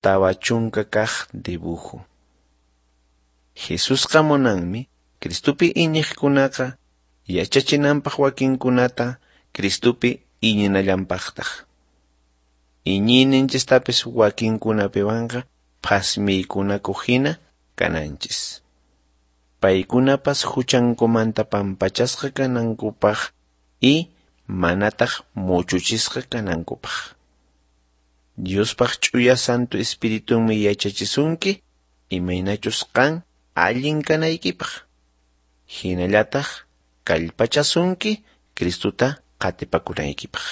40 kaj dibujo. Jesusqa munanmi Cristopi iñiqkunaqa yachachinanpaq wakinkunata Cristopi iñinallanpaqtaq. Iñiyninchistapis wakinkunapiwanqa phasmiykunakuq hina kananchis. Paykunapas huchankumanta pampachasqa kanankupaq y manataq muchuchisqa kanankupaq. Diospaq ch'uya Santo Espiritunmi yachachisunki imaynachus qan allin kanaykipaq. Hinallataq kallpachasunki Cristota qatipakunaykipaq.